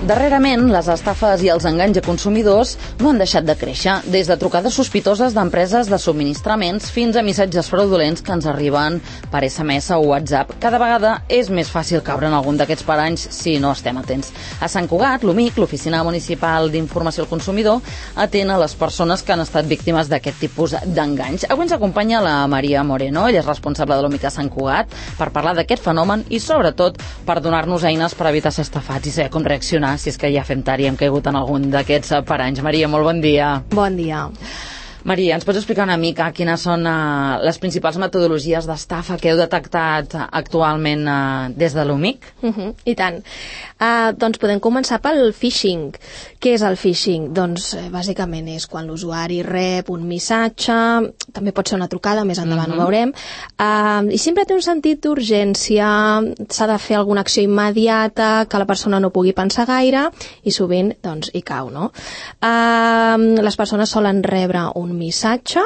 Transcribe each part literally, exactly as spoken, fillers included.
Darrerament, les estafes i els enganys a consumidors no han deixat de créixer, des de trucades sospitoses d'empreses de subministraments fins a missatges fraudulents que ens arriben per esse eme esse o WhatsApp. Cada vegada és més fàcil caure en algun d'aquests paranys si no estem atents. A Sant Cugat, l'O M I C, l'Oficina Municipal d'Informació al Consumidor, atén a les persones que han estat víctimes d'aquest tipus d'enganys. Avui ens acompanya la Maria Moreno, ella és responsable de l'O M I C a Sant Cugat, per parlar d'aquest fenomen i, sobretot, per donar-nos eines per evitar ser estafats i saber com reaccionar si és que ja fem tard i hem caigut en algun d'aquests paranys. Maria, molt bon dia. Bon dia. Maria, ens pots explicar una mica quines són uh, les principals metodologies d'estafa que heu detectat actualment uh, des de l'O M I C? Uh -huh, I tant. Uh, doncs podem començar pel phishing. Què és el phishing? Doncs eh, bàsicament és quan l'usuari rep un missatge, també pot ser una trucada, més endavant uh -huh. ho veurem, uh, i sempre té un sentit d'urgència, s'ha de fer alguna acció immediata, que la persona no pugui pensar gaire, i sovint doncs hi cau, no? Uh, les persones solen rebre un missatge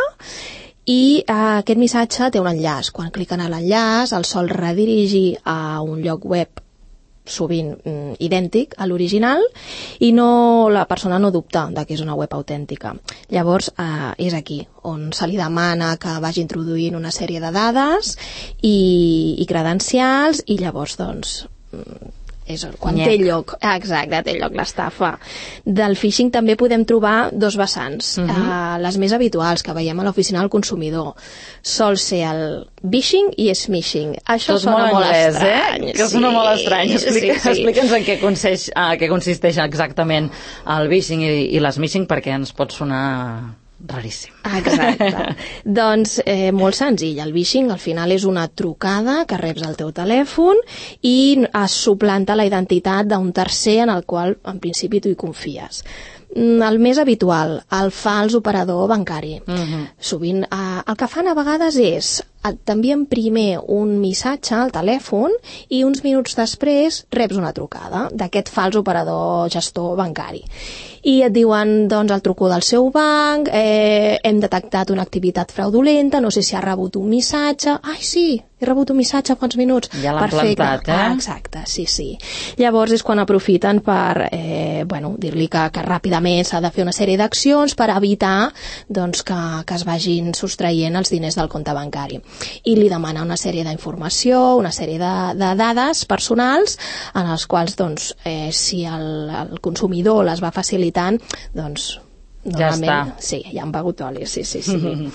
i uh, aquest missatge té un enllaç. Quan cliquen a l'enllaç el sol redirigir a un lloc web sovint mm, idèntic a l'original i no, la persona no dubta de que és una web autèntica. Llavors eh, és aquí on se li demana que vagi introduint una sèrie de dades i, i credencials i llavors doncs és quan Nyec. té lloc, exacte, té lloc l'estafa. Del phishing també podem trobar dos vessants. Uh -huh. uh, les més habituals que veiem a l'oficina del consumidor sol ser el phishing i smishing. Això Tot sona molt, molt anglès, estrany. Eh? Que sona sí, molt estrany. Explica, sí, sí. Explica'ns en què consisteix, uh, què consisteix exactament el phishing i, i l'smishing, perquè ens pot sonar raríssim. Exacte. Doncs eh, molt senzill. El phishing al final és una trucada que reps al teu telèfon i es suplanta la identitat d'un tercer en el qual en principi tu hi confies. El més habitual, el fals operador bancari. Uh-huh. Sovint eh, el que fan a vegades és t'envien primer un missatge al telèfon i uns minuts després reps una trucada d'aquest fals operador gestor bancari. I et diuen, doncs, el truco del seu banc, eh, hem detectat una activitat fraudulenta, no sé si ha rebut un missatge. Ai, sí, he rebut un missatge fa uns minuts. Ja l'han plantat, eh? Ah, exacte, sí, sí. Llavors és quan aprofiten per, eh, bueno, dir-li que, que ràpidament s'ha de fer una sèrie d'accions per evitar, doncs, que, que es vagin sostraient els diners del compte bancari. I li demana una sèrie d'informació, una sèrie de, de dades personals en els quals, doncs, eh, si el, el consumidor les va facilitant, doncs, normalment, ja està. Sí, ja han begut oli, sí, sí, sí.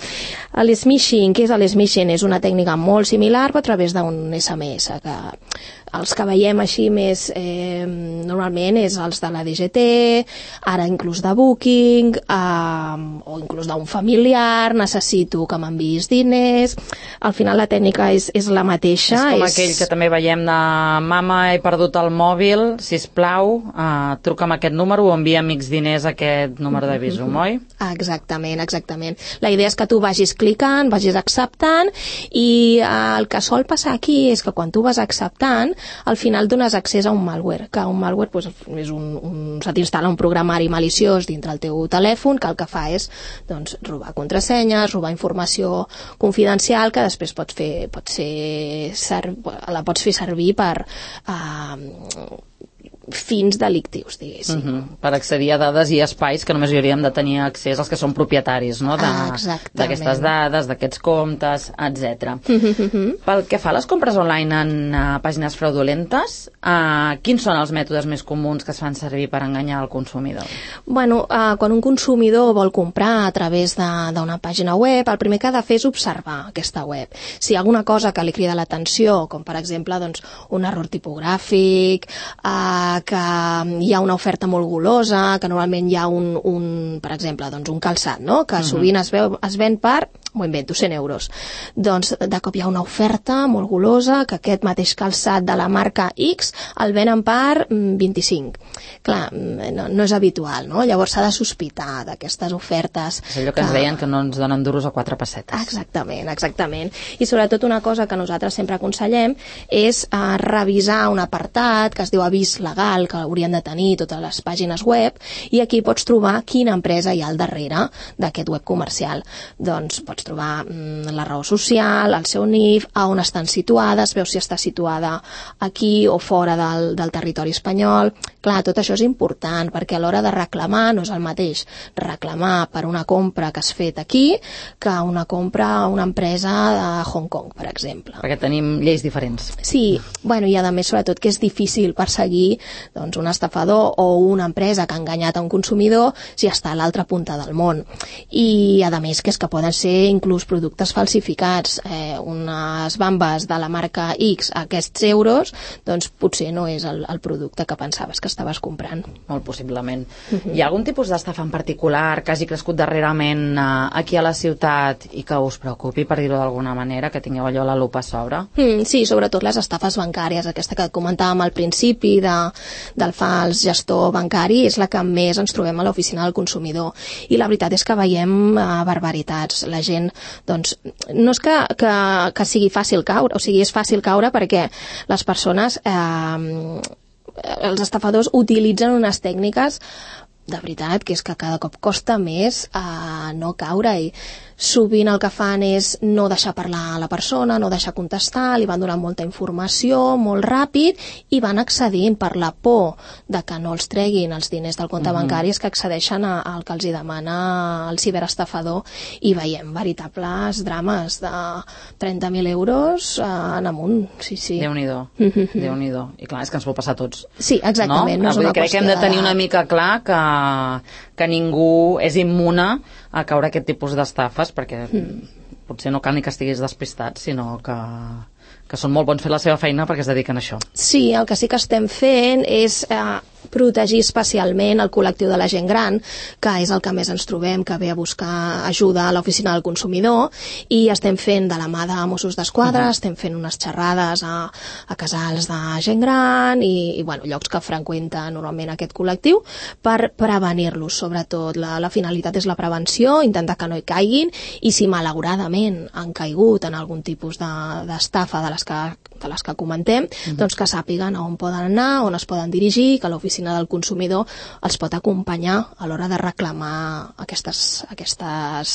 L'smishing, què és l'smishing? És una tècnica molt similar, però a través d'un esse eme esse, que els que veiem així més eh, normalment és els de la de ge te, ara inclús de Booking, eh, o inclús d'un familiar, necessito que m'enviïs diners. Al final la tècnica és, és la mateixa. És com és... aquell que també veiem de mama, he perdut el mòbil, sisplau, eh, truca'm a aquest número o envia amics diners a aquest número de Bizum, oi? Exactament, exactament. La idea és que tu vagis clicant, vagis acceptant i eh, el que sol passar aquí és que quan tu vas acceptant al final dones accés a un malware, que un malware pues, és un, un, se t'instal·la un programari maliciós dintre el teu telèfon que el que fa és doncs, robar contrasenyes, robar informació confidencial que després pot fer, pot ser, la pots fer servir per eh, fins delictius, diguéssim. Uh -huh. Per accedir a dades i espais que només hi hauríem de tenir accés els que són propietaris, no? D'aquestes dades, d'aquests comptes, etcètera. Uh -huh. Pel que fa a les compres online en uh, pàgines fraudulentes, uh, quins són els mètodes més comuns que es fan servir per enganyar el consumidor? Bueno, uh, quan un consumidor vol comprar a través d'una pàgina web, el primer que ha de fer és observar aquesta web. Si hi ha alguna cosa que li crida l'atenció, com per exemple doncs, un error tipogràfic, uh, que hi ha una oferta molt golosa, que normalment hi ha un, un per exemple, doncs un calçat, no? Que sovint es, veu, es ven per, m'ho invento, cent euros. Doncs de cop hi ha una oferta molt golosa, que aquest mateix calçat de la marca X el venen per vint-i-cinc. Clar, no, no és habitual, no? Llavors s'ha de sospitar d'aquestes ofertes. És allò que, que ens deien que no ens donen duros a quatre pessetes. Exactament, exactament. I sobretot una cosa que nosaltres sempre aconsellem és uh, revisar un apartat que es diu avís legal, que haurien de tenir totes les pàgines web, i aquí pots trobar quina empresa hi ha al darrere d'aquest web comercial. Doncs pots pots trobar mm, la raó social, el seu N I F, a on estan situades, veus si està situada aquí o fora del, del territori espanyol. Clar, tot això és important, perquè a l'hora de reclamar no és el mateix reclamar per una compra que has fet aquí que una compra a una empresa de Hong Kong, per exemple. Perquè tenim lleis diferents. Sí, bueno, i a més, sobretot, que és difícil perseguir doncs, un estafador o una empresa que ha enganyat a un consumidor si està a l'altra punta del món. I, a més, que és que poden ser inclús productes falsificats. Eh, unes bambes de la marca X a aquests euros, doncs potser no és el, el producte que pensaves que estaves comprant. Molt possiblement. Uh-huh. Hi ha algun tipus d'estafa en particular que hagi crescut darrerament eh, aquí a la ciutat i que us preocupi, per dir-ho d'alguna manera, que tingueu allò la lupa a sobre? Mm, sí, sobretot les estafes bancàries, aquesta que comentàvem al principi de, del fals gestor bancari, és la que més ens trobem a l'oficina del consumidor. I la veritat és que veiem eh, barbaritats. La gent, doncs, no és que, que, que sigui fàcil caure, o sigui, és fàcil caure perquè les persones, eh, els estafadors utilitzen unes tècniques de veritat que és que cada cop costa més eh, no caure-hi. Sovint el que fan és no deixar parlar a la persona, no deixar contestar, li van donant molta informació, molt ràpid, i van accedint per la por de que no els treguin els diners del compte uh-huh. bancari, és que accedeixen a, al que els hi demana el ciberestafador, i veiem veritables drames de trenta mil euros eh, en amunt. Sí, sí. Déu-n'hi-do. Déu-n'hi-do. I clar, és que ens pot passar a tots. Sí, exactament. No? No és una crec que hem de tenir una mica clar que, que ningú és immune a caure aquest tipus d'estafes, perquè mm. potser no cal ni que estiguis despistat, sinó que, que són molt bons fent la seva feina perquè es dediquen a això. Sí, el que sí que estem fent és eh, protegir especialment el col·lectiu de la gent gran, que és el que més ens trobem, que ve a buscar ajuda a l'oficina del consumidor, i estem fent de la mà de Mossos d'Esquadra, uh-huh. estem fent unes xerrades a, a casals de gent gran i, i bueno, llocs que freqüenta normalment aquest col·lectiu per prevenir-los, sobretot. La, la finalitat és la prevenció, intentar que no hi caiguin, i si malauradament han caigut en algun tipus d'estafa de, de les que de les que comentem, uh-huh. doncs que sàpiguen a on poden anar, on es poden dirigir, que l'oficina del consumidor els pot acompanyar a l'hora de reclamar aquestes, aquestes,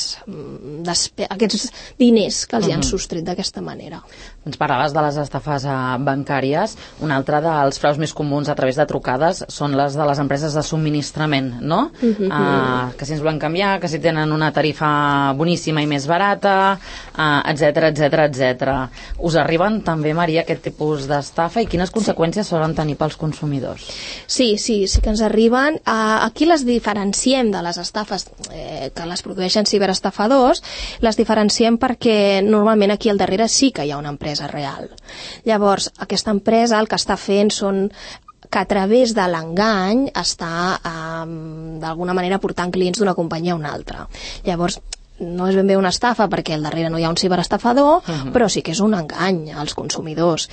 aquests diners que els uh-huh. hi han sostret d'aquesta manera. Ens parlaves de les estafes bancàries. Un altre dels fraus més comuns a través de trucades són les de les empreses de subministrament, no? Uh-huh. Uh, que si ens volen canviar, que si tenen una tarifa boníssima i més barata, uh, etcètera, etcètera, etcètera. Us arriben també, Maria, aquest tipus d'estafa i quines conseqüències sí. solen tenir pels consumidors? Sí, sí, sí que ens arriben. Uh, aquí les diferenciem de les estafes eh, que les produeixen ciberestafadors, les diferenciem perquè normalment aquí al darrere sí que hi ha una empresa real. Llavors, aquesta empresa el que està fent són que a través de l'engany està eh, d'alguna manera portant clients d'una companyia a una altra. Llavors, no és ben bé una estafa perquè al darrere no hi ha un ciberestafador, uh-huh. però sí que és un engany als consumidors.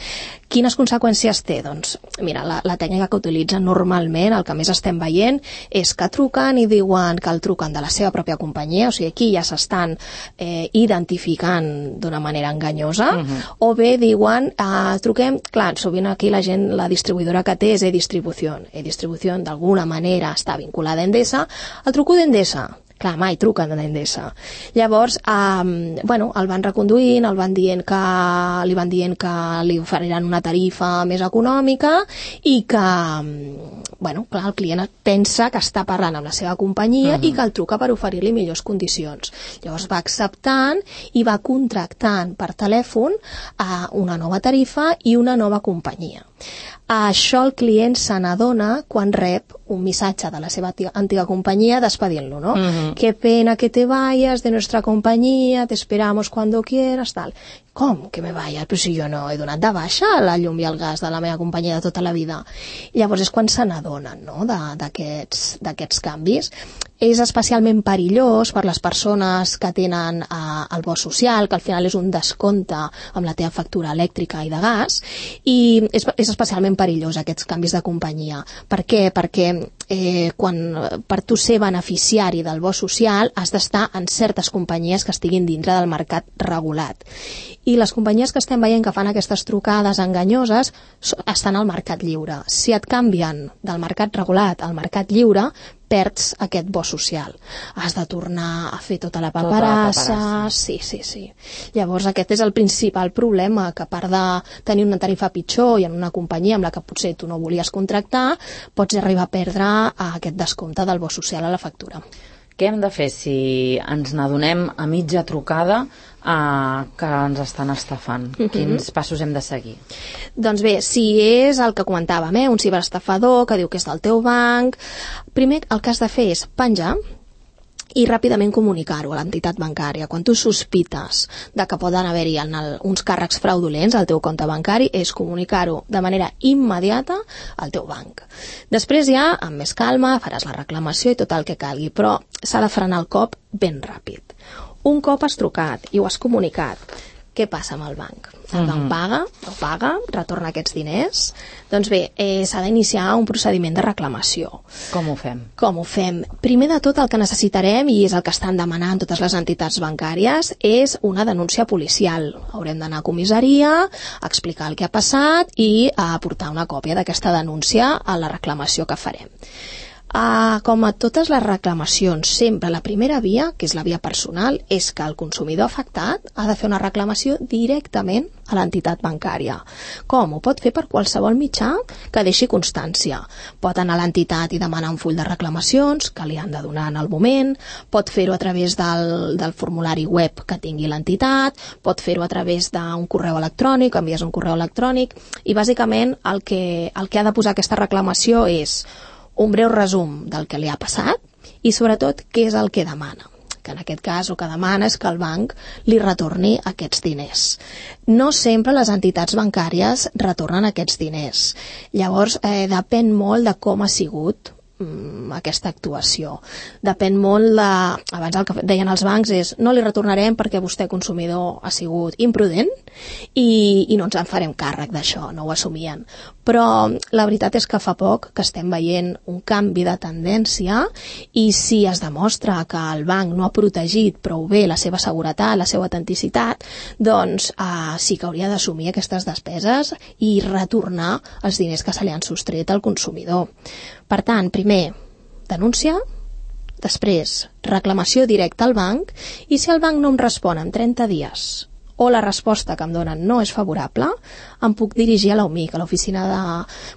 Quines conseqüències té? Doncs, mira, la, la tècnica que utilitzen normalment, el que més estem veient, és que truquen i diuen que el truquen de la seva pròpia companyia, o sigui, aquí ja s'estan eh, identificant d'una manera enganyosa, uh-huh. o bé diuen, eh, truquem, clar, sovint aquí la gent, la distribuïdora que té és e-distribució. E-distribució d'alguna manera està vinculada a Endesa, el truco d'Endesa. Clar, mai truquen a Endesa. Llavors, eh, bueno, el van reconduint, el van dient que, li van dient que li oferiran una tarifa més econòmica i que, bueno, clar, el client pensa que està parlant amb la seva companyia uh-huh. i que el truca per oferir-li millors condicions. Llavors va acceptant i va contractant per telèfon eh, una nova tarifa i una nova companyia. A això el client se n'adona quan rep un missatge de la seva antiga companyia despedint-lo, ¿no? Uh-huh. Qué pena que te vayas de nuestra compañía, te esperamos cuando quieras, tal. Com que me vaya? Però si jo no he donat de baixa la llum i el gas de la meva companyia de tota la vida. I llavors és quan se n'adonen, no?, d'aquests d'aquests canvis. És especialment perillós per les persones que tenen eh, el bo social, que al final és un descompte amb la teva factura elèctrica i de gas, i és, és especialment perillós aquests canvis de companyia. Per què? Perquè eh, quan, per tu ser beneficiari del bo social has d'estar en certes companyies que estiguin dintre del mercat regulat. I les companyies que estem veient que fan aquestes trucades enganyoses estan al mercat lliure. Si et canvien del mercat regulat al mercat lliure, perds aquest bo social. Has de tornar a fer tota la paperassa, tota la sí, sí, sí. Llavors aquest és el principal problema, que a part de tenir una tarifa pitjor i en una companyia amb la que potser tu no volies contractar, pots arribar a perdre aquest descompte del bo social a la factura. Què hem de fer si ens n'adonem a mitja trucada eh, que ens estan estafant? Uh-huh. Quins passos hem de seguir? Doncs bé, si és el que comentàvem, eh, un ciberestafador que diu que és del teu banc, primer el que has de fer és penjar i ràpidament comunicar-ho a l'entitat bancària. Quan tu sospites de que poden haver-hi uns càrrecs fraudulents al teu compte bancari, és comunicar-ho de manera immediata al teu banc. Després ja, amb més calma, faràs la reclamació i tot el que calgui, però s'ha de frenar el cop ben ràpid. Un cop has trucat i ho has comunicat, què passa amb el banc? El banc mm-hmm. paga, no paga, retorna aquests diners? Doncs bé, eh, s'ha d'iniciar un procediment de reclamació. Com ho fem? Com ho fem? Primer de tot el que necessitarem, i és el que estan demanant totes les entitats bancàries, és una denúncia policial. Haurem d'anar a comissaria, a explicar el que ha passat i a aportar una còpia d'aquesta denúncia a la reclamació que farem. Uh, com a totes les reclamacions, sempre la primera via, que és la via personal, és que el consumidor afectat ha de fer una reclamació directament a l'entitat bancària. Com? Ho pot fer per qualsevol mitjà que deixi constància. Pot anar a l'entitat i demanar un full de reclamacions que li han de donar en el moment, pot fer-ho a través del, del formulari web que tingui l'entitat, pot fer-ho a través d'un correu electrònic, envies un correu electrònic, i bàsicament el que, el que ha de posar aquesta reclamació és un breu resum del que li ha passat i sobretot què és el que demana, que en aquest cas el que demana és que el banc li retorni aquests diners. No sempre les entitats bancàries retornen aquests diners. Llavors eh, depèn molt de com ha sigut mm, aquesta actuació. Depèn molt de... Abans el que deien els bancs és no li retornarem perquè vostè consumidor ha sigut imprudent i, i no ens en farem càrrec d'això, no ho assumien. Però la veritat és que fa poc que estem veient un canvi de tendència i si es demostra que el banc no ha protegit prou bé la seva seguretat, la seva autenticitat, doncs eh, sí que hauria d'assumir aquestes despeses i retornar els diners que se li han sostret al consumidor. Per tant, primer, denúncia, després, reclamació directa al banc i si el banc no em respon en trenta dies o la resposta que em donen no és favorable, em puc dirigir a l'O M I C, a l'Oficina de...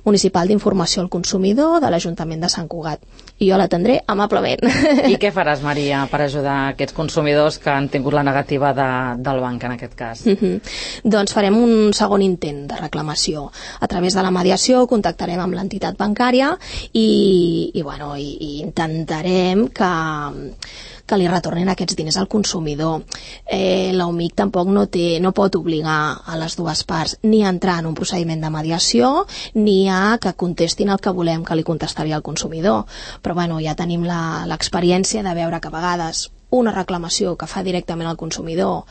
Municipal d'Informació al Consumidor de l'Ajuntament de Sant Cugat. I jo l'atendré amablement. I què faràs, Maria, per ajudar aquests consumidors que han tingut la negativa de, del banc, en aquest cas? Mm-hmm. Doncs farem un segon intent de reclamació. A través de la mediació contactarem amb l'entitat bancària i, i, bueno, i, i intentarem que... que li retornin aquests diners al consumidor. Eh, L'O M I C tampoc no, té, no pot obligar a les dues parts ni a entrar en un procediment de mediació ni a que contestin el que volem que li contestaria al consumidor. Però bueno, ja tenim l'experiència de veure que a vegades una reclamació que fa directament al consumidor,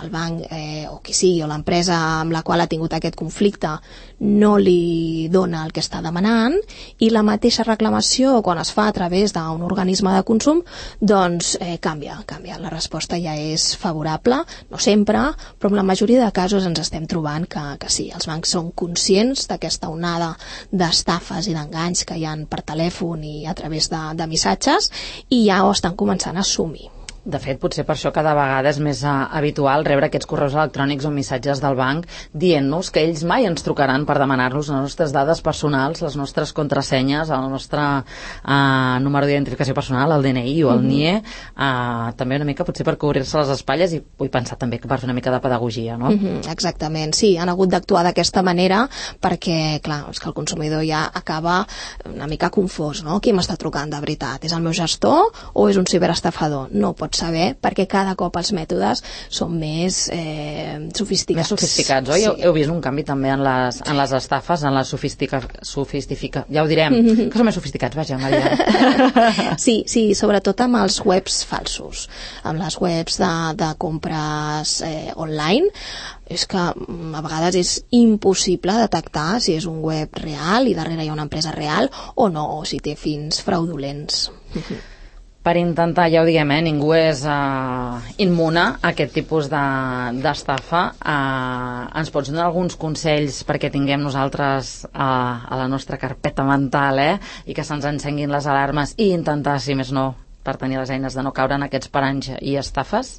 el banc eh, o qui sigui, o l'empresa amb la qual ha tingut aquest conflicte, no li dona el que està demanant, i la mateixa reclamació, quan es fa a través d'un organisme de consum, doncs eh, canvia, canvia. La resposta ja és favorable, no sempre, però en la majoria de casos ens estem trobant que, que sí, els bancs són conscients d'aquesta onada d'estafes i d'enganys que hi ha per telèfon i a través de, de missatges, i ja ho estan començant a assumir. De fet, potser per això cada vegada és més uh, habitual rebre aquests correus electrònics o missatges del banc dient-nos que ells mai ens trucaran per demanar-nos les nostres dades personals, les nostres contrasenyes, el nostre uh, número d'identificació personal, el D N I o el N I E, uh, també una mica potser per cobrir-se les espatlles i vull pensar també que per fer una mica de pedagogia, no? Mm-hmm, exactament, sí, han hagut d'actuar d'aquesta manera perquè, clar, és que el consumidor ja acaba una mica confós, no? Qui m'està trucant de veritat? És el meu gestor o és un ciberestafador? No pot saber, perquè cada cop els mètodes són més eh, sofisticats. Més sofisticats, oi? Sí. Heu, heu vist un canvi també en les, en les estafes, en la sofistica... sofistifica... Ja ho direm, mm-hmm. que són més sofisticats, vaja, Maria. Sí, sí, sobretot amb els webs falsos, amb les webs de, de compres eh, online, és que a vegades és impossible detectar si és un web real i darrere hi ha una empresa real o no, o si té fins fraudulents. per intentar, ja ho diguem, eh, ningú és uh, immune a aquest tipus d'estafa. De, uh, ens pots donar alguns consells perquè tinguem nosaltres uh, a la nostra carpeta mental, eh, i que se'ns encenguin les alarmes i intentar, si més no, per tenir les eines de no caure en aquests paranys i estafes?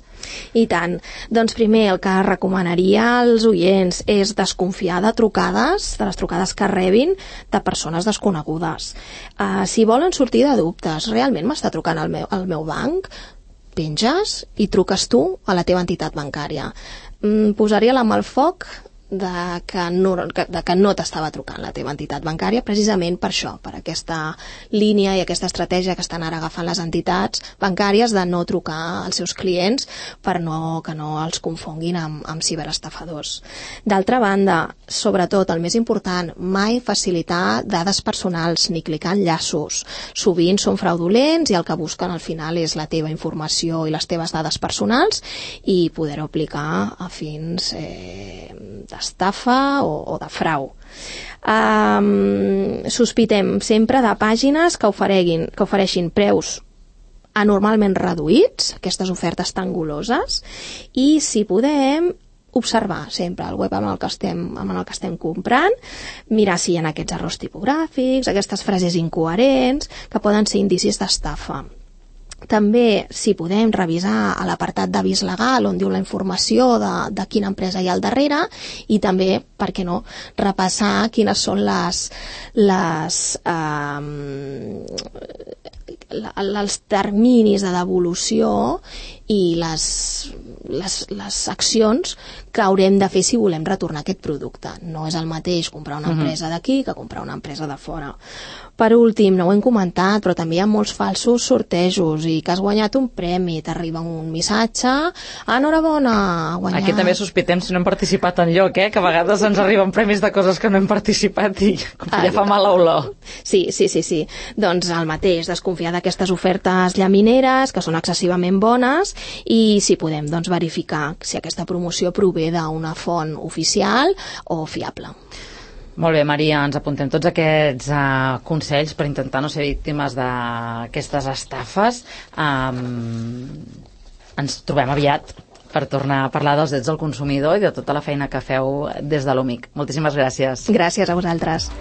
I tant. Doncs primer el que recomanaria als oients és desconfiar de trucades, de les trucades que rebin de persones desconegudes. Uh, si volen sortir de dubtes, realment m'està trucant el meu, el meu banc? Penges i truques tu a la teva entitat bancària. Mm, posaria la mà al foc de que no, de que no t'estava trucant la teva entitat bancària, precisament per això, per aquesta línia i aquesta estratègia que estan ara agafant les entitats bancàries de no trucar als seus clients per no, que no els confonguin amb, amb ciberestafadors. D'altra banda, sobretot, el més important, mai facilitar dades personals ni clicar enllaços. Sovint són fraudulents i el que busquen al final és la teva informació i les teves dades personals i poder-ho aplicar a fins eh, d'estafa o, o de frau. Um, sospitem sempre de pàgines que ofereixin, que ofereixin preus anormalment reduïts, aquestes ofertes tan goloses, i si podem observar sempre el web amb el que estem, amb el que estem comprant, mirar si hi ha aquests errors tipogràfics, aquestes frases incoherents que poden ser indicis d'estafa. També, si podem, revisar a l'apartat d'avís legal on diu la informació de, de quina empresa hi ha al darrere i també, per què no, repassar quines són les, les eh, els terminis de devolució i les, les, les accions que haurem de fer si volem retornar aquest producte. No és el mateix comprar una empresa d'aquí que comprar una empresa de fora. Per últim, no ho hem comentat, però també hi ha molts falsos sortejos i que has guanyat un premi, t'arriba un missatge, enhorabona, guanyat... Aquí també sospitem si no hem participat en lloc, eh? Que a vegades ens arriben premis de coses que no hem participat i com que ja fa mala olor. Sí, sí, sí, sí. Doncs el mateix, desconfiar d'aquestes ofertes llamineres, que són excessivament bones, i si podem, doncs, verificar si aquesta promoció prové d'una font oficial o fiable. Molt bé, Maria, ens apuntem tots aquests uh, consells per intentar no ser víctimes d'aquestes estafes. Um, ens trobem aviat per tornar a parlar dels drets del consumidor i de tota la feina que feu des de l'O M I C. Moltíssimes gràcies. Gràcies a vosaltres.